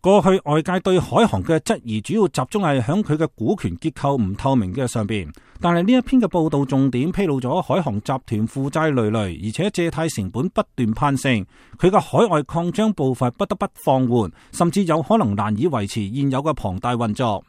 過去外界對海航嘅質疑主要集中係響佢嘅股權結構唔透明嘅上邊，但係呢一篇嘅報道重點披露咗海航集團負債累累，而且借貸成本不斷攀升，佢嘅海外擴張步伐不得不放緩，甚至有可能難以維持現有嘅龐大運作。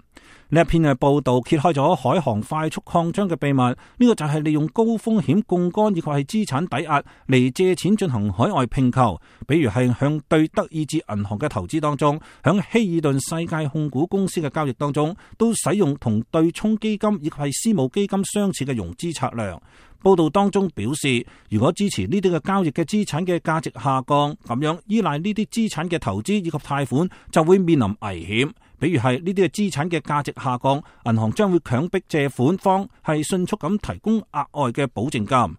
呢一篇嘅報道揭開咗海航快速擴張嘅秘密，呢個就係利用高風險槓桿以及係資產抵押嚟借錢進行海外併購，比如係向對德意志銀行嘅投資當中，響希爾頓世界控股公司嘅交易當中，都使用同對沖基金以及係私募基金相似嘅融資策略。報道當中表示，如果支持呢啲嘅交易嘅資產嘅價值下降，咁樣依賴呢啲資產嘅投資以及貸款就會面臨危險。比如係呢啲嘅資產嘅價值下降，銀行將會強迫借款方係迅速咁提供額外嘅保證金。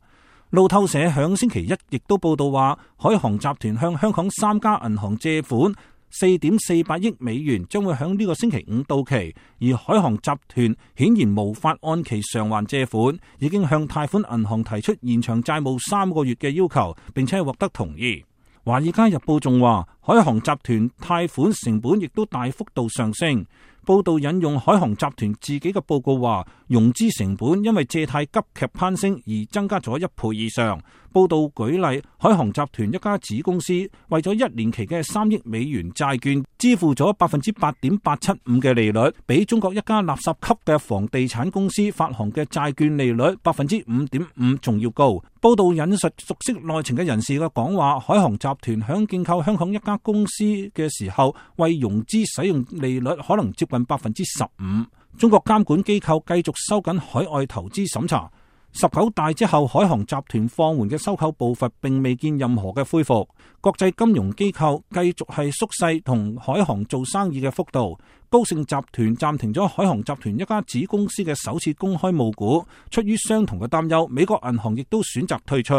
路透社響星期一亦都報道話，海航集團向香港3家銀行借款4.48億美元，將會響呢個星期五到期。而海航集團顯然無法按期償還借款，已經向貸款銀行提出延長債務3個月嘅要求，並且獲得同意。華爾街日報仲話，海航集團貸款成本亦都大幅度上升。報道引用海航集團自己嘅報告話，融資成本因為借貸急劇攀升而增加咗1倍以上。報道舉例，海航集團一家子公司為咗1年期嘅3億美元債券，支付咗 8.875% 嘅利率，比中國一家垃圾級嘅房地產公司發行嘅債券利率 5.5% 仲要高。報道引述熟悉內情嘅人士嘅講話，海航集團響競購香港一家公司嘅時候，為融資使用利率可能接近 15%。中國監管機構繼續收緊海外投資審查。19大之後，海航集團放緩嘅收購步伐並未見任何嘅恢復。國際金融機構繼續係縮細同海航做生意嘅幅度。高盛集團暫停咗海航集團一家子公司嘅首次公開募股，出於相同嘅擔憂，美國銀行亦都選擇退出。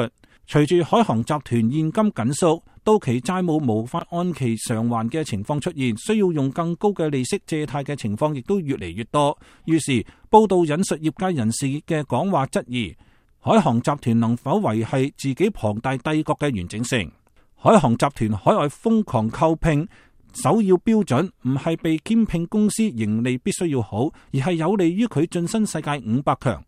隨住海航集團現金緊縮，到期債務無法按期償還嘅情況出現，需要用更高嘅利息借貸嘅情況亦都越嚟越多。於是報道引述業界人士嘅講話，質疑海航集團能否維繫自己龐大帝國嘅完整性。海航集團海外瘋狂購併，首要標準唔係被兼併公司盈利必須要好，而係有利於佢晉身世界500強。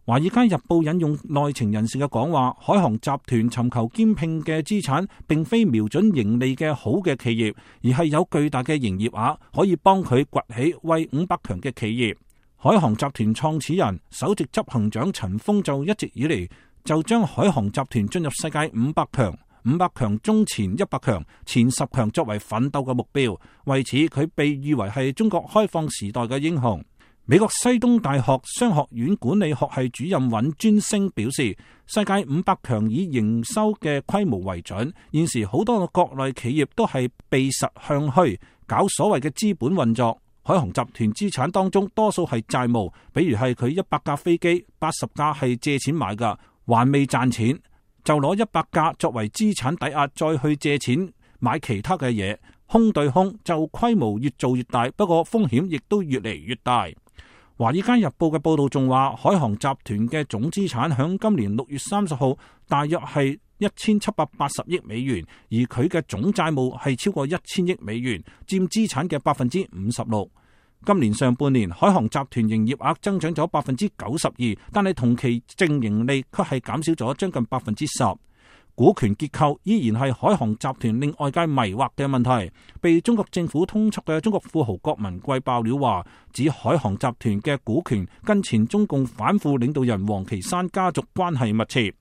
華爾街日報引用內情人士嘅講話，海航集團尋求兼併嘅資產並非瞄準盈利嘅好嘅企業，而係有巨大嘅營業額可以幫佢崛起為500強嘅企業。海航集團創始人、首席執行長陳鋒就一直以嚟就將海航集團進入世界500強、500強中前100強、前10強作為奮鬥嘅目標，為此佢被譽為係中國開放時代嘅英雄。美國西東大學商學院管理學系主任尹尊升表示，世界500強以營收嘅規模為準，現時好多嘅國內企業都係避實向虛，搞所謂嘅資本運作。海航集團資產當中多數係債務，比如係佢100架飛機，80架係借錢買㗎，還未賺錢，就攞100架作為資產抵押，再去借錢買其他嘅嘢，空對空就規模越做越大，不過風險亦都越嚟越大。華爾街日報嘅報道仲話，海航集團嘅總資產響今年6月30號大約係1780億美元，而佢嘅總債務係超過1000億美元，佔資產嘅56%。今年上半年，海航集團營業額增長咗92%，但係同期淨盈利卻係減少咗將近10%。股權結構依然係海航集團令外界迷惑嘅問題。被中國政府通緝嘅中國富豪郭文貴爆料話，指海航集團嘅股權跟前中共反腐領導人王岐山家族關係密切。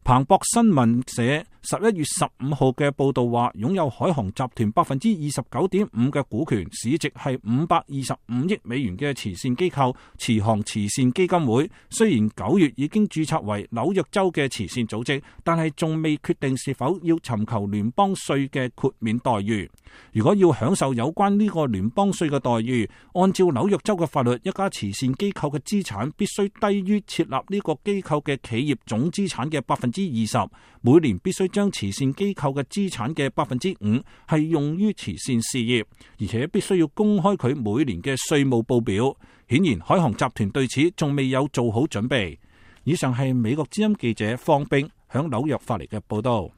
彭博新聞社11月15號嘅報道話，擁有海航集團 29.5% 嘅股權，市值係525億美元嘅慈善機構慈航慈善基金會，雖然9月已經註冊為紐約州嘅慈善組織，但係仲未決定是否要尋求聯邦稅嘅豁免待遇。如果要享受有關呢個聯邦稅嘅待遇，按照紐約州嘅法律，一家慈善機構嘅資產必須低於設立呢個機構嘅企業總資產嘅20%，每年必須將慈善機構嘅資產嘅5%係用於慈善事業，而且必須要公開佢每年嘅稅務報表。顯然，海航集團對此仲未有做好準備。以上係美國之音記者方冰響紐約發嚟嘅報道。